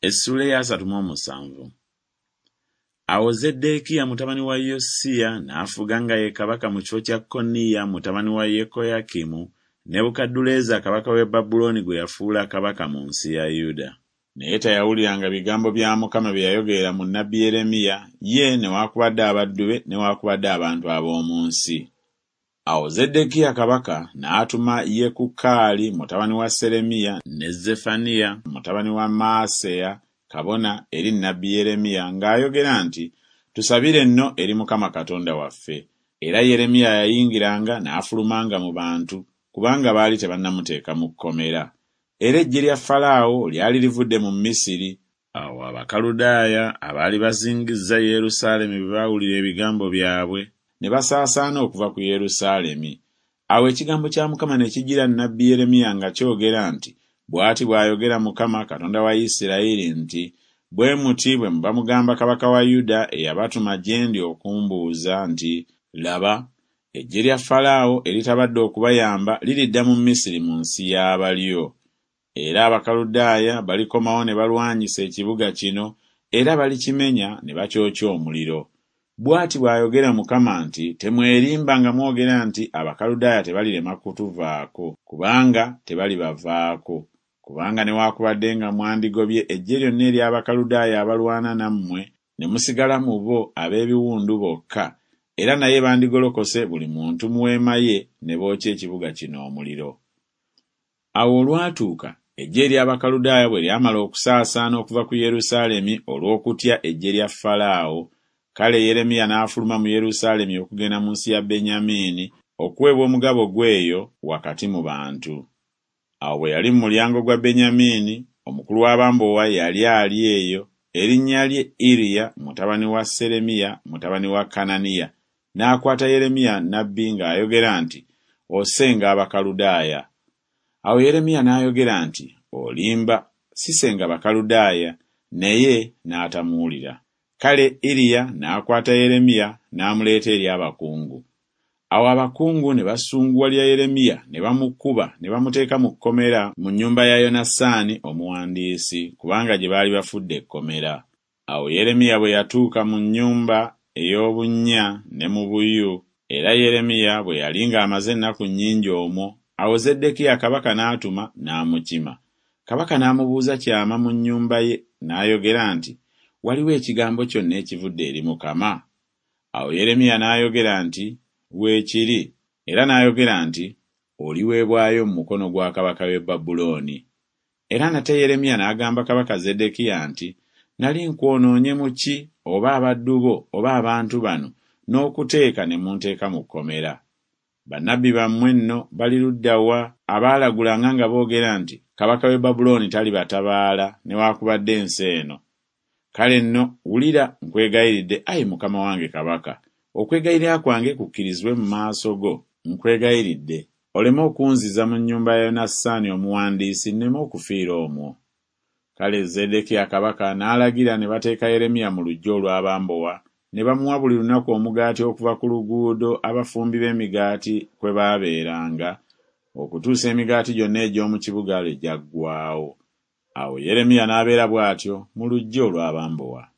Essuula ey'asatu mu omusanvu. Awo Zeddeekiya mutabani wa Yosiya n'afuga nga ye kabaka mu kifo kya Koniya mutabani wa Yekoyakimu, Nebukadduleeza kabaka w'e Babulooni gwe yafuula kabaka mu nsi ya Yuda. Naye teyawuliranga bigambo bya Mukama bye yayogerera mu nnabbi Yeremiya, ye newaakubadde abaddu be newaakubadde abantu ab'omu nsi. Awo Zeddekiya kabaka n'atuma Yekukaali mutabani wa Seremiya ne Zeffaniya mutabani wa Maaseya kabona eri nnabbi Yeremiya ng'ayogera nti, Tusabire nno eri Mukama Katonda waffe. Era Yeremiya yayingiranga n'afulumanga mu bantu, kubanga baali tebannamuteeka mu kkomera. Era eggye lya Falaawo lyali livudde mu Misiri. Awo Abakaludaaya abaali bazingizza Yerusaalemi bwe baawulira ebigambo byabwe, ne basaasaana okuva ku Yerusaalemi. Awo ekigambo kya Mukama ne kijjira nnabbi Yeremiya nga kyogera nti, Bw'ati bw'ayogera Mukama, Katonda wa Isirayiri nti, Bwe muti bwe muba mugamba kabaka wa Yuda eyabatuma gye ndi okumbuuza nti, Laba, eggye lya Falaawo eritabadde okubayamba liridda mu Misiri mu nsi y'abalyo. Era Abakaludaaya balikomawo ne balwanyisa ekibuga kino, era balikimenya ne bakyokya omuliro. Bw'ati bw'ayogera Mukama nti, Temwerimba nga mwogera nti Abakaludaaya tebalirema kutuvaako, kubanga tebalibavaako. Kubanga newaakubadde nga mwandigobye eggye lyonna ery'Abakaludaaya abalwana nammwe, ne musigala mu bo ab'ebiwundu bokka, era naye bandigolokose buli muntu mu weema ye ne bookya ekibuga kino omuliro. Awo olwatuuka, eggye ery'Abakaludaaya bwe lyamala okusaasaana okuva ku Yerusaalemi olw'okutya eggye lya Falaawo, kale Yeremiya n'afuluma mu Yerusaalemi okugenda mu nsi ya Benyamiini okuweebwa omugabo gwe eyo wakati mu bantu. Awo bwe yali mu mulyango gwa Benyamiini, omukulu w'abambowa yali ali eyo, erinnya lye Iriya mutabani wa Seremiya mutabani wa Kananiya, n'akwata Yeremiya nnabbi ng'ayogera nti, Osenga Abakaludaaya. Awo Yeremiya n'ayogera nti, Olimba, sisenga Bakaludaaya, naye n'atamuwulira. Kale Iriya n'akwata Yeremiya n'amuleeta eri abakungu. Awo abakungu ne basunguwalira Yeremiya ne bamukuba ne bamuteeka mu kkomera mu nnyumba ya Yonasaani omuwandiisi, kubanga gye baali bafudde ekkomera. Awo Yeremiya bwe yatuuka mu nnyumba ey'obunnya ne mu buyu, era Yeremiya bwe yali ng'amaze ennaku nnyingi omwo, awo Zeddekiya kabaka n'atuma n'amukima. Kabaka n'amubuuza kyama mu nnyumba ye, n'ayogera nti, Waliwo ekigambo kyonna ekivudde eri Mukama? Awo Yeremiya n'ayogera nti, Weekiri. Era n'ayogera nti, Oliweebwayo mu mukono gwa kabaka w'e Babulooni. Era nate Yeremiya n'agamba kabaka Zeddekiya nti, Nali nkwonoonye mu ki, oba abaddu bo, oba abantu bano, n'okuteeka ne munteeka mu kkomera? Bannabbi bammwe nno bali ludda wa, abaalagulanga nga boogera nti, Kabaka w'e Babulooni talibatabaala newaakubadde ensi eno? Kale nno wulira, nkwegayiridde, ayi mukama wange kabaka, okwegayirira kwange kukkirizibwe mu maaso go, nkwegayiridde, oleme okunziza mu nnyumba ya Yonasaani omuwandiisi nneme okufiira omwo. Kale Zeddekiya kabaka n'alagira ne bateeka Yeremiya mu luggya olw'abambowa, ne bamuwa buli lunaku omugaati okuva ku luguudo abafumbi b'emigaati kwe baabeeranga, okutuusa emigaati gyonna egy'omu kibuga lwe gyaggwaawo. Awo Yeremiya n'abeera bw'atyo mu luggya olw'abambowa.